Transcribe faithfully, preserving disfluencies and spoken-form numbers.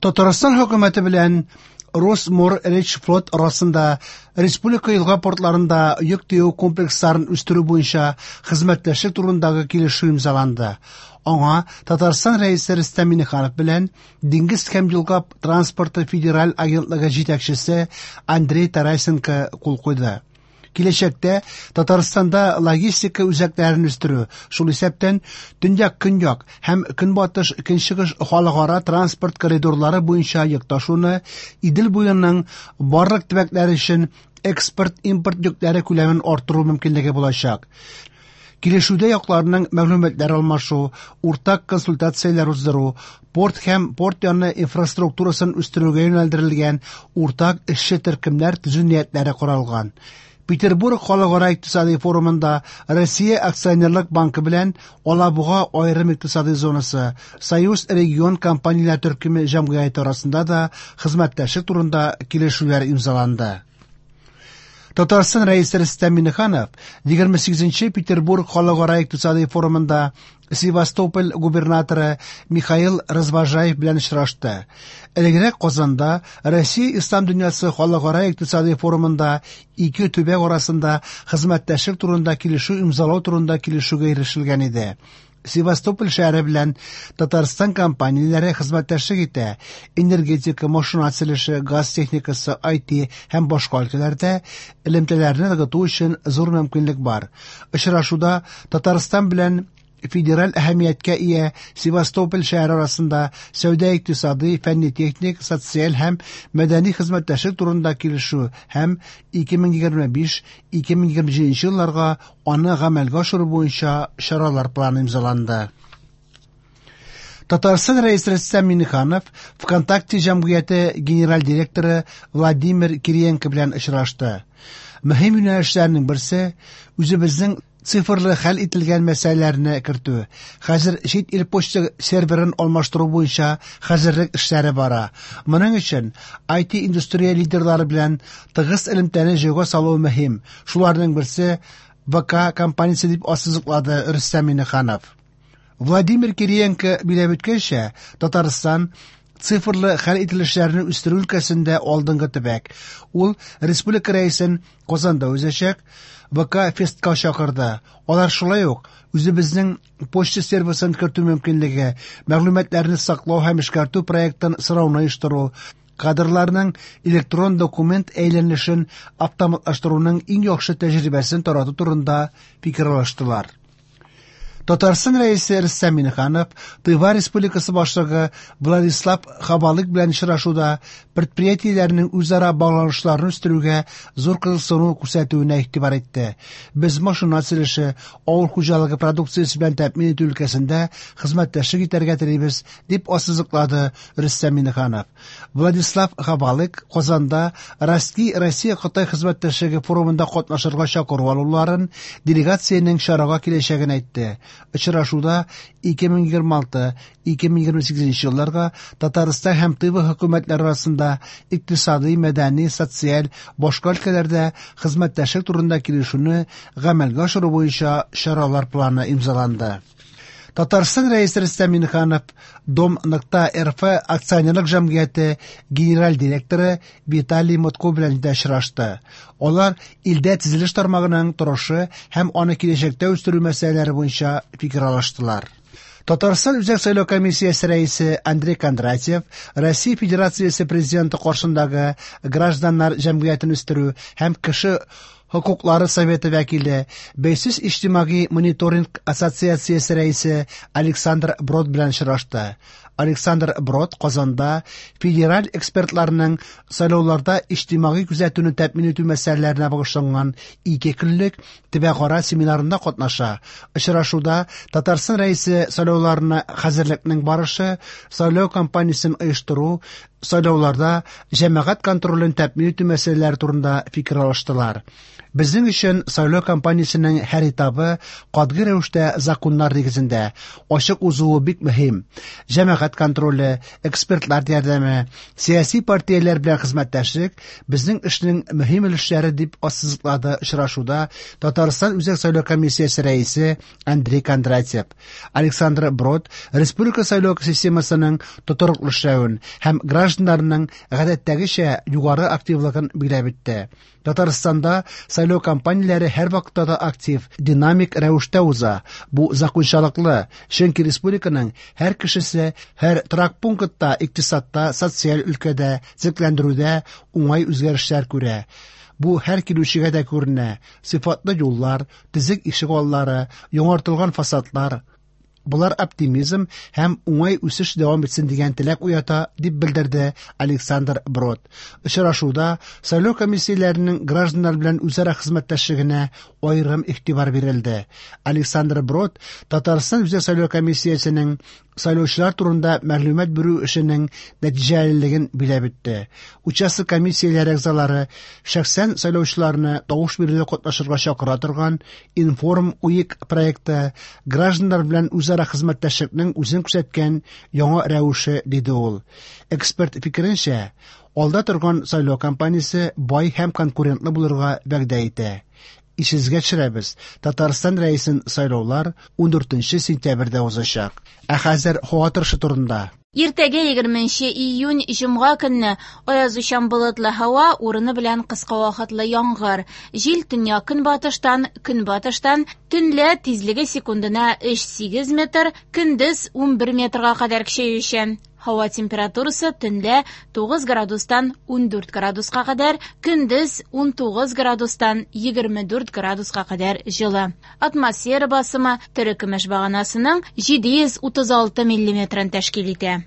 Татарстан хөкүмәте белән Росморречфлот арасында республика елга портларында йөк төяү комплексларын үстерү буенча хезмәттәшлек турындагы килешү имзаланды. Аңа Татарстан Рәисе Рөстәм Миңнеханов белән Диңгез һәм елга транспорты федераль агентлыгы җитәкчесе Андрей Тарасенко кул куйды. Киләчәктә Татарстанда логистика үзәкләрен үстерү, шул исәптән төньяк-көньяк һәм көнбатыш-көнчыгыш халыкара транспорт коридорлары буенча йөк ташуны, Идел буеның барлык төбәкләре өчен экспорт-импорт йөкләре күләмен арттыру мөмкинлеге булачак. Килешүдә якларның мәгълүматлар алмашу, уртак консультацияләр уздыру, порт һәм порт яны инфраструктурасын үстерүгә юнәлдерелгән уртак эшче төркемнәр төзү ниятләре каралган. Петербург халыкара икътисади форумында Россия акционерлык банкы белән Алабуга аерым икътисади зонасы Союз регион компанияләр төркеме җәмгыяте арасында да хезмәттәшлек турында килешүләр имзаланды. Татарстан Рәисе Рөстәм Миңнеханов егерме сигезенче Петербург халыкара икътисади форумында Севастополь губернаторы Михаил Развожаев белән очрашты. Элегрәк Казанда Россия Ислам дөньясы халыкара икътисади форумында ике төбәк арасында хезмәттәшлек турында килешү имзалау турында килешүгә ирешелгән иде. Севастополь шәһәре белән Татарстан компанияләре хезмәттәшлек итә. Энергетика, машина төзелеше, газ техникасы, ай ти һәм башка өлкәләрдә элемтәләрне ныгыту өчен зур мөмкинлек бар. Очрашуда Татарстан белән федераль әһәмияткә ия Севастополь шәһәре арасында сәүдә икътисади, фәнни-техник, социаль һәм мәдәни хезмәттәшлек турында килешү һәм ике мең егерме биш - ике мең егерме җиденче елларга аны гамәлгә ашыру буенча чаралар планы имзаланды. Татарстан Рәисе Рөстәм Миңнеханов ВКонтакте җәмгыяте генераль директоры Владимир Кириенко белән очрашты. Мөһим юнәлешләрнең берсе үзебезнең цифрлы хәл ителгән мәсьәләләрне кертү. Хәзер чит ил почта серверын алмаштыру буенча хәзерлек эшләре бара. Моның өчен ай ти индустрия лидерлары белән тыгыз элемтәне җайга салу мөһим. Шуларның берсе вэ ка компаниясе дип ассызыклады Рөстәм Миңнеханов. Владимир Кириенко биләп үткәнчә, Татарстан цифрлы хәл ителешләрне үстерү өлкәсендә алдынгы төбәк. Ул республика рәисен Казанда узачак вэ ка фестка чакырды. Алар шулай ук үзебезнең почта сервисын кертү мөмкинлеге, мәгълүматларны саклау һәм эшкәртү проектын сорауны оештыру, кадрларның электрон документ әйләнешен автоматлаштыруның иң яхшы тәҗрибәсен тарату турында фикер алыштылар. Татарстан Рәисе Рөстәм Миңнеханов Тыва Республикасы башлыгы Владислав Хабалык белән очрашуда предприятиеләрнең үзара багланышларын үстерүгә зур кызыксыну күрсәтүенә игътибар итте. Без машина төзелеше, авыл хуҗалыгы продукциясе белән тәэмин итү өлкәсендә хезмәттәшлек итәргә телибез, дип ассызыклады Рөстәм Миңнеханов. Владислав Хабалык Казанда Ростки Россия Кытай хезмәттәшлеге форумында катнашырга чакыру алуларын, делегациянең чарага киләчәген әйтте. Очрашуда ике мең егерме алты - ике мең егерме сигезенче елларга Татарстан һәм Тыва хөкүмәтләре арасында икътисади, мәдәни, социаль, башка өлкәләрдә хезмәттәшлек турында килешүне гамәлгә ашыру буенча чаралар планы имзаланды. Татарстан Рәисе Рөстәм Миңнеханов Дом нокта эр эф акционерлык җәмгыяте генераль директоры Виталий Мутко белән дә очрашты. Алар илдә төзелеш тармагының торышы һәм аны киләчәктә үстерү мәсьәләләре буенча фикер алыштылар. Татарстан Үзәк сайлау комиссиясе рәисе Андрей Кондратьев Россия Федерациясе президенты каршындагы гражданнар җәмгыятен үстерү һәм кеше хокуклары советы вәкиле, Бәйсез иҗтимагый мониторинг ассоциациясе рәисе Александр Брод белән очрашты. Александр Брод Казанда федераль экспертларның сайлауларда иҗтимагый күзәтүне тәэмин итү мәсьәләләренә багышланган ике көнлек төбәкара семинарында катнаша. Очрашуда Татарстан Рәисе сайлауларына хәзерлекнең барышы, сайлау кампаниясен оештыру, сайлауларда җәмәгать контролен тәэмин итү мәсьәләләре турында фикер алыштылар. Безнең өчен сайлау кампаниясенең һәр этабы катгый рәвештә законнар нигезендә ачык узуы бик мөһим. Җәмәгать җәмәгать контроле, экспертлар ярдәме, сәяси партияләр белән хезмәттәшлек безнең эшнең мөһим өлешләре, дип ассызыклады очрашуда Татарстан Үзәк сайлау комиссиясе рәисе Андрей Кондратьев. Александр Брод республика сайлау системасының тотрыклы эшләвен һәм гражданнарның гадәттәгечә югары активлыгын билгеләп үтте. Татарстанда сайлау кампанияләре һәрвакытта да актив, динамик рәвештә уза. Бу закончалыклы, чөнки республиканың һәр кешесе һәр торак пунктта икътисадта, социаль өлкәдә, төзекләндерүдә уңай үзгәрешләр күрә. Бу һәр килүчегә дә күренә. Сыйфатлы юллар, төзек ишегаллары, яңартылган фасадлар. Болар оптимизм һәм уңай үсеш дәвам итсен дигән теләк уята, дип белдерде Александр Брод. Очрашуда сайлау комиссияләренең гражданнар белән үзара хезмәттәшлегенә аерым игътибар бирелде. Александр Брод Татарстан Үзәк сайлау комиссиясенең сайлаучылар турында мәгълүмат бирү эшенең нәтиҗәлелеген билгеләп үтте. Участок комиссияләре әгъзалары шәхсән сайлаучыларны тавыш бирүдә катнашырга чакыра торган Информ УИК проекты гражданнар белән үзара хезмәттәшлекнең үзен күрсәткән яңа рәвеше, диде ул. Эксперт фикеренчә, алда торган сайлау кампаниясе бай һәм конкурентлы булырга вәгъдә итә. Исегезгә төшерәбез, Татарстан рәисен сайлаулар ундүртенче сентябрьдә узачак. Ә хәзер һава торышы турында. Иртәгә егерменче июнь җомга көнне аязучан болытлы һава, урыны белән кыска вакытлы яңгыр. Җил төньяк көнбатыштан, көнбатыштан, төнлә тизлеге секундына өч сигез метр, көндез унбер метрга кадәр көчәючән. Һава температурасы төнлә тугыз градустан ундүрт градуска кадәр, көндез унтугыз градустан егерме дүрт градуска кадәр җылы. Атмосфера басымы терекөмеш баганасының җиде йөз утыз алты миллиметрын тәшкил итә.